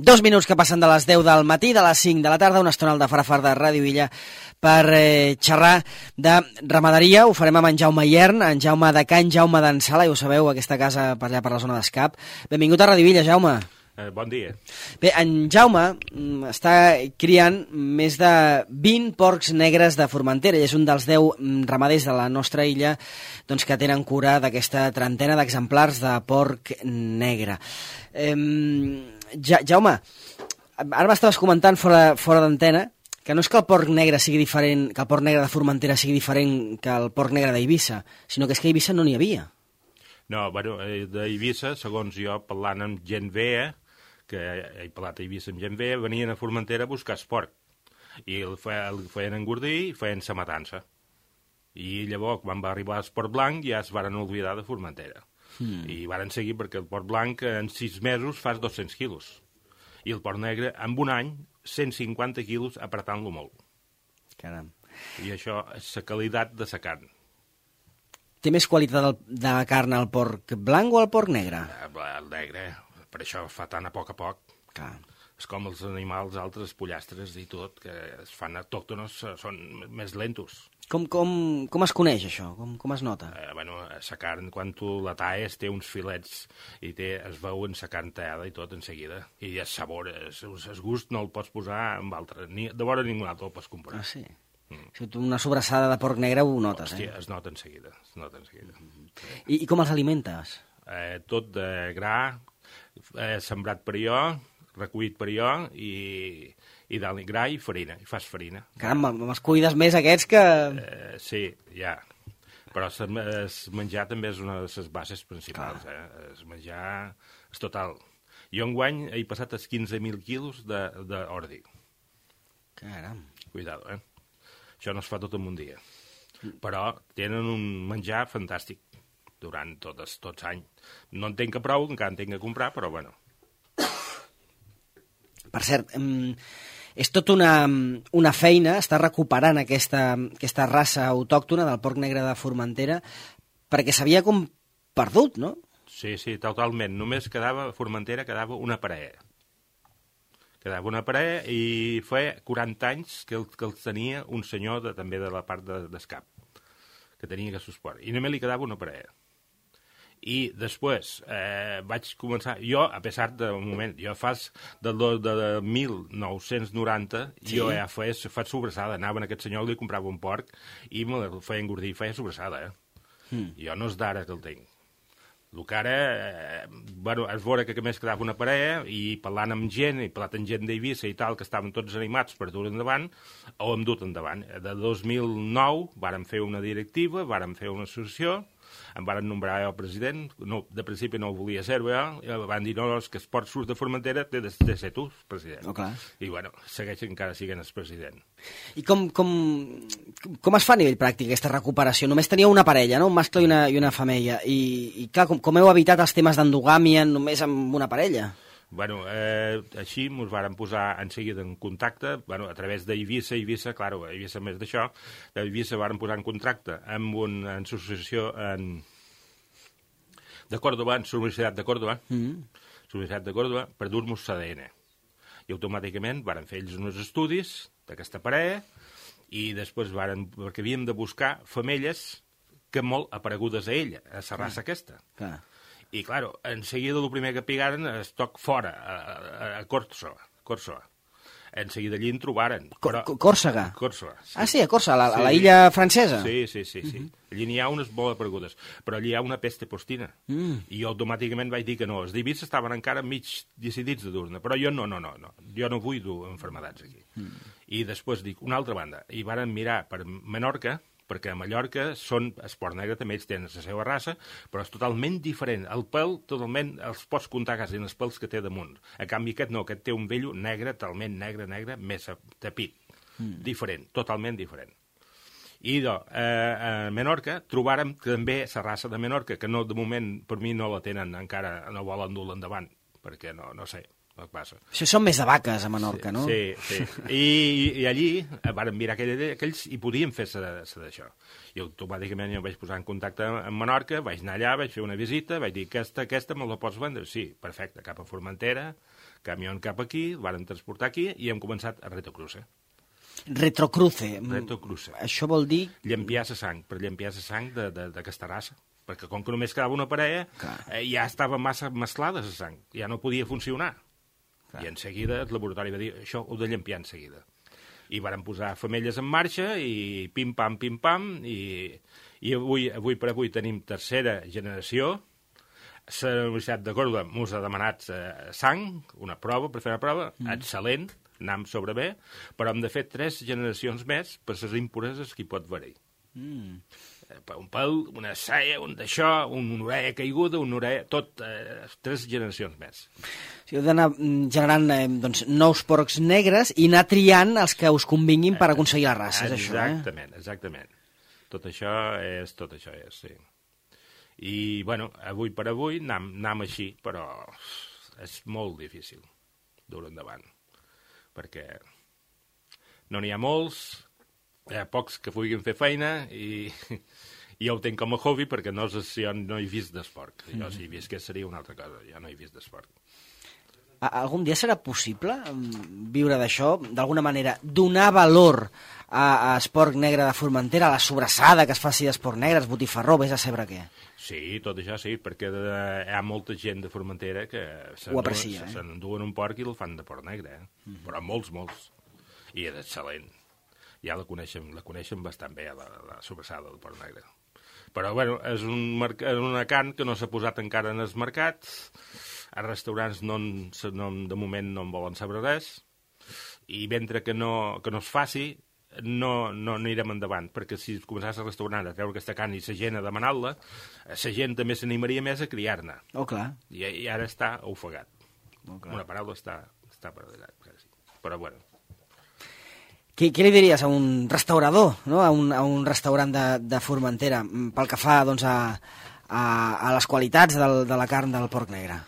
2 minuts que passen de les 10 del matí, de les 5 de la tarda, una estona al de Farafar de Ràdio Illa per xerrar de ramaderia. Ho farem amb en Jaume Iern, en Jaume de Can Jaume d'en Sala, i ho sabeu, aquesta casa per allà per la zona d'Escap. Benvingut a Ràdio Illa, Jaume. Bon dia. Bé, en Jaume està criant més de 20 porcs negres de Formentera i és un dels 10 ramaders de la nostra illa doncs, que tenen cura d'aquesta trentena d'exemplars de porc negre. Jaume, ara m'estaves comentant fora d'antena que no és que el porc negre sigui diferent, que el porc negre de Formentera sigui diferent que el porc negre d'Eivissa, sinó que és que a Eivissa no n'hi havia. No, bueno, d'Eivissa, segons jo, parlant amb gent vea, que he parlat a Eivissa amb gent vea, venien a Formentera a buscar esport. I el feien engordir i feien sa matança. I llavors, quan va arribar l'esport blanc, ja es varen oblidar de Formentera. I varen seguir perquè el porc blanc en 6 mesos fas 200 quilos. I el porc negre, en un any, 150 quilos apretant-lo molt. Caram. I això és la qualitat de la carn. Té més qualitat de la carn el porc blanc o el porc negre? El negre, per això fa tan a poc. Clar. És com els animals altres, pollastres i tot, que es fan autòctonos, són més lentos. Com es coneix això? Com es nota? Bueno, la carn, quan tu la talles, té uns filets i es veu en la carn tallada i tot en seguida. I el sabor, el gust no el pots posar amb altre. De vora ningú altre el pots comprar. Ah, sí? Si tu una sobrassada de porc negre ho notes, Hòstia, es nota en seguida. I com els alimentes? Tot de gra, sembrat per jo, recollit per jo, i dalt gra i farina, i fas farina. Caram, me'ls cuides més aquests que... Sí, ja. Però el menjar també és una de les bases principals. El menjar és total. Jo enguany he passat els 15.000 quilos d'ordi. Caram. Cuidado, Això no es fa tot en un dia. Però tenen un menjar fantàstic durant tots anys. No en tinc prou, encara en tinc que comprar, però bueno. Per cert, és tot una feina estar recuperant aquesta raça autòctona del porc negre de Formentera perquè s'havia com perdut, no? Sí, totalment. Només a Formentera quedava una parella. Quedava una parella i fa 40 anys que els tenia un senyor també de la part d'Escap, que tenia aquest esport. I només li quedava una parella. I després vaig començar... Jo, a pesar d'un moment, jo de 1990, sí? Jo ja faig sobrassada. Anava a aquest senyor, li comprava un porc i me el feia engordir i feia sobrassada. Jo no és d'ara que el tinc. El que ara, bueno, és veure que més quedava una parella i parlant amb gent, i parlant amb gent d'Eivissa i tal, que estaven tots animats per dur endavant, ho hem dut endavant. De 2009 vàrem fer una directiva, vàrem fer una associació, em varen nombrar el president, no, de principi no ho volia ser, van dir, no, és que Esport surt de Formentera, té de ser tu, president. Oh, clar. I, bueno, segueix encara sent el president. I com es fa a nivell pràctic aquesta recuperació? Només tenia una parella, no? Un mascle i una femella. I clar, com heu evitat els temes d'endogàmia només amb una parella? Bueno, així ens vàrem posar en seguida en contacte, bueno, a través d'Eivissa, clar, Eivissa més d'això, d'Eivissa vàrem posar en contacte amb una associació de Còrdoba, en la Universitat de Còrdoba, per dur-nos l'ADN. I automàticament vàrem fer ells uns estudis d'aquesta parella i després perquè havíem de buscar femelles que molt aparegudes a ella, a la raça aquesta. Clar. I, clar, en seguida el primer que pigaren es toc fora, a Còrsega. En seguida allí en trobaren. Còrsega? Còrsega. Sí. Ah, sí, a Còrsega, a la illa francesa? Sí. Allí n'hi ha unes molt aparegudes, però allí hi ha una peste postina. I jo automàticament vaig dir que no. Els d'Eivissa estaven encara mig decidits de dur-ne, però jo no. Jo no vull dur malalties aquí. I després dic, una altra banda, i varen mirar per Menorca, perquè a Mallorca esport negre també ells tenen la seva raça, però és totalment diferent. El pèl, totalment, els pots comptar quasi en els pèls que té damunt. A canvi aquest no, aquest té un vello negre, talment negre, més tapit. Diferent, totalment diferent. I a Menorca trobàrem també la raça de Menorca, que no, de moment per mi no la tenen encara, no volen dur-la endavant, perquè no sé. Passa. Això són més de vaques, a Menorca, no? Sí. I allí varen mirar aquells i podien fer d'això. I automàticament jo em vaig posar en contacte amb Menorca, vaig anar allà, vaig fer una visita, vaig dir, aquesta me la pots vendre? Sí, perfecte, cap a Formentera, camió cap aquí, el varen transportar aquí i hem començat a Retocruce. Retrocruce. Retocruce. Això vol dir... Llampiar la sang, per llampiar la sang d'aquesta raça. Perquè com que només quedava una parella, ja estava massa mesclada la sang, ja no podia funcionar. Clar. I en seguida el laboratori va dir, això ho de llampiar en seguida. I varen posar femelles en marxa i pim-pam, i avui per avui tenim tercera generació. La Universitat de Córdoba mos ha demanat sang, una prova, per fer una prova, excel·lent, anam sobre bé, però hem de fer 3 generacions més per les impureses que hi pot haver-hi. Un pèl, una saia, un d'això, una orella caiguda, una orella... Tot, 3 generacions més. Si heu d'anar generant doncs, nous porcs negres i anar triant els que us convinguin per aconseguir la raça, és això, Exactament. Tot això és, sí. I, bueno, avui per avui anam així, però és molt difícil dur endavant, perquè no n'hi ha molts, hi ha pocs que puguin fer feina i jo ho tenc com a hobby perquè no he vist d'esport. Jo si hi visqués seria una altra cosa, jo no he vist d'esport. Algun dia serà possible viure d'això, d'alguna manera, donar valor a esport negre de Formentera, a la sobrassada que es faci d'esport negre, es botifarró, vés a saber què? Sí, tot això sí, perquè hi ha molta gent de Formentera que s'enduen un porc i el fan de porc negre, però molts. I és excel·lent. Ja la coneixen bastant bé, la sobrassada del porc negre. Però, bueno, és una carn que no s'ha posat encara en els mercats, als restaurants de moment no en volen saber res, i mentre que no es faci, no anirem endavant, perquè si començàs al restaurant a treure aquesta carn i la gent a demanar-la, la gent també s'animaria més a criar-ne. Oh, clar. I ara està ofegat. Una paraula està paralitzat, quasi. Però, bueno. Què li diries a un restaurador, no? a un restaurant de Formentera, pel que fa doncs, a les qualitats de la carn del porc negre?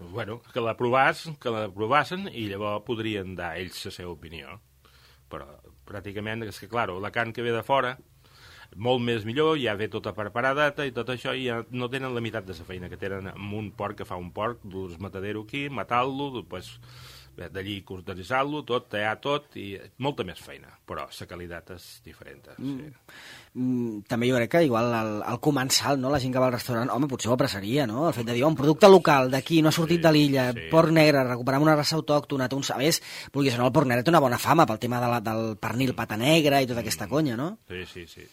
Bueno, que la provassen i llavors podrien dar ells la seva opinió. Però pràcticament és que, clar, la carn que ve de fora, molt més millor, ja ve tota preparadeta i tot això, i ja no tenen la meitat de la feina que tenen amb un porc que fa un porc, dur-lo matadero aquí, matar-lo, després d'allí cortesar-lo, tallar tot, i molta més feina, però la qualitat és diferent. Sí. També jo crec que igual al comensal, no? La gent que va al restaurant, home, potser ho apreciaria, no? El fet de dir, un producte local d'aquí, no ha sortit de l'illa, porc negre, recuperem una raça autòctona, té un sabers, vulguis o no, el porc negre té una bona fama pel tema del pernil pata negra i tota aquesta conya, no? Sí.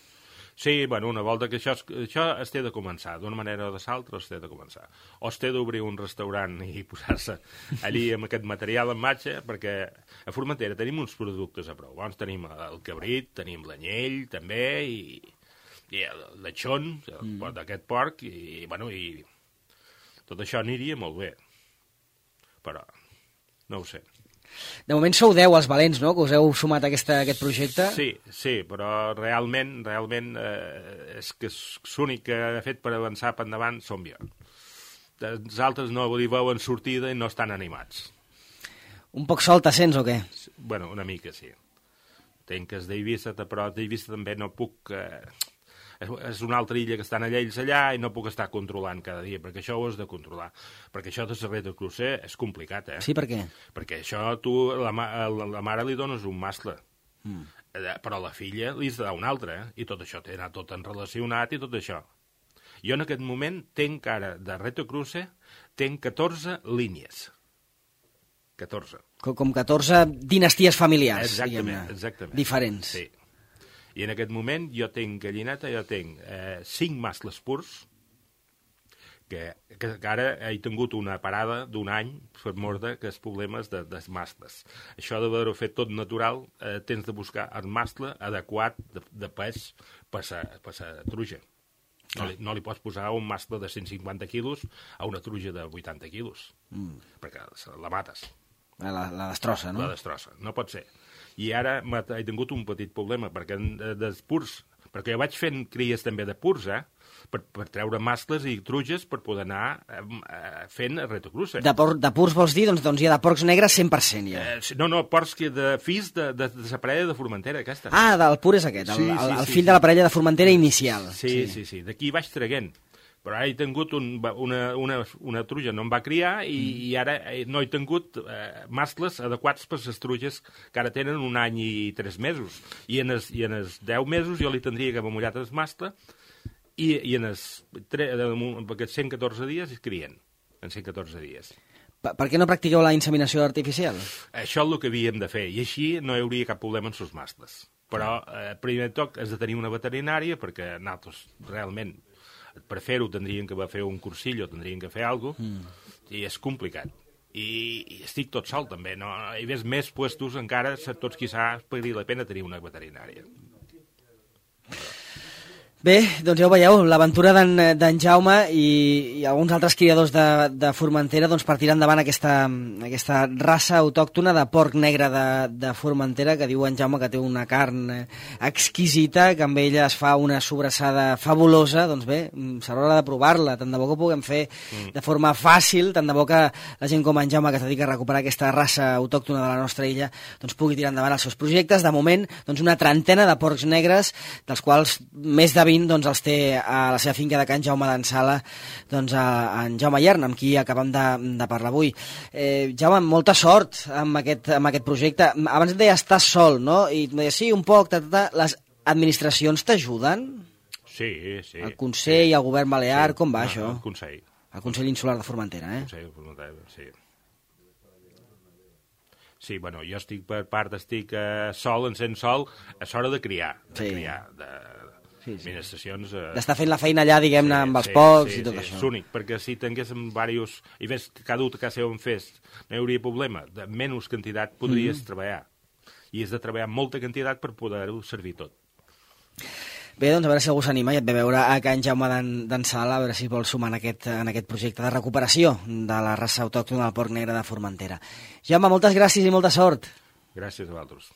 Sí, bueno, una volta que això es té de començar, d'una manera o de l'altra es té de començar. O es té d'obrir un restaurant i posar-se allí amb aquest material en marxa, perquè a Formentera tenim uns productes a prou. Llavors tenim el cabrit, tenim l'anyell també, i el lechón, d'aquest porc, i tot això aniria molt bé. Però no ho sé. De moment sou 10 els valents, no?, que us heu sumat a aquest projecte. Sí, però realment és que l'únic que ha fet per avançar per endavant som jo. Els altres no hi veuen sortida i no estan animats. Un poc sol te sents o què? Bueno, una mica sí. Tenc que d'Eivissa, però d'Eivissa també no puc... És una altra illa que estan ells allà i no puc estar controlant cada dia, perquè això ho has de controlar. Perquè això de la Retocruce és complicat, Sí, per què? Perquè això tu, la mare li dones un mascle, però la filla li has de dar un altre, i tot això té anat tot enrelacionat i tot això. Jo en aquest moment tenc ara de Retocruce, tenc 14 línies. 14. Com 14 dinasties familiars, exactament. Diferents. Sí. I en aquest moment jo tenc gallineta, 5 mascles purs, que ara he tingut una parada d'un any per mort que els problemes dels mascles. Això d'haver-ho fet tot natural, tens de buscar el mascle adequat de pes per la truja. No li pots posar un mascle de 150 quilos a una truja de 80 quilos, perquè la mates. La destrossa, no? La destrossa, no pot ser. I ara he tingut un petit problema, perquè dels purs, perquè jo vaig fent cries també de purs, per treure mascles i truges per poder anar fent Retocruce. De purs vols dir? Doncs hi ha de porcs negres 100%, ja. No, porcs de fills de la parella de Formentera, aquesta. Del pur és aquest, el fill de la parella de Formentera inicial. Sí. D'aquí vaig traguent. Però ara he tingut una truja, no em va criar, i ara no he tingut mascles adequats per les truges que ara tenen 1 any i 3 mesos. I en els 10 mesos jo li tindria que haver mullat el mascle, i en aquests 114 dies es crien, en 114 dies. Per què no practiqueu la inseminació artificial? Això és el que havíem de fer, i així no hi hauria cap problema amb els mascles. Però, primer de tot, has de tenir una veterinària, perquè nosaltres realment per fer-ho tindrien que fer un cursillo, tindrien que fer alguna cosa, i és complicat. I estic tot sol, també. No? Hi ves més puestos, encara, tots quizás podria la pena tenir una veterinària. Bé, doncs ja ho veieu, l'aventura d'en Jaume i alguns altres criadors de Formentera doncs partiran endavant aquesta raça autòctona de porc negre de Formentera, que diu en Jaume que té una carn exquisita, que amb ella es fa una sobrassada fabulosa. Doncs bé, serà hora de provar-la, tant de bo que ho puguem fer de forma fàcil, tant de bo que la gent com en Jaume, que es dedica a recuperar aquesta raça autòctona de la nostra illa, doncs pugui tirar endavant els seus projectes. De moment, doncs una trentena de porcs negres, dels quals més de 20 doncs, els té a la seva finca de Can Jaume d'en Sala, doncs, en Jaume Iern, amb qui acabem de parlar avui. Jaume, molta sort amb aquest projecte. Abans et deia, estàs sol, no? I et deia, sí, un poc, les administracions t'ajuden? Sí, sí. El Consell, el Govern Balear, com va això? El Consell. El Consell Insular de Formentera, El Consell de Formentera, sí. Sí, bueno, jo estic sol, encén sol, és hora de criar, administracions... D'estar fent la feina allà, diguem-ne, amb els pocs i tot això. És únic, perquè si tinguéssim diversos... I ves, cada un que seu en fes, no hi hauria problema. De menys quantitat podries treballar. I has de treballar molta quantitat per poder-ho servir tot. Bé, doncs a veure si algú s'anima i et ve veure a Can Jaume d'en Sala, a veure si vol sumar en aquest projecte de recuperació de la raça autòctona del porc negre de Formentera. Jaume, moltes gràcies i molta sort. Gràcies a vosaltres.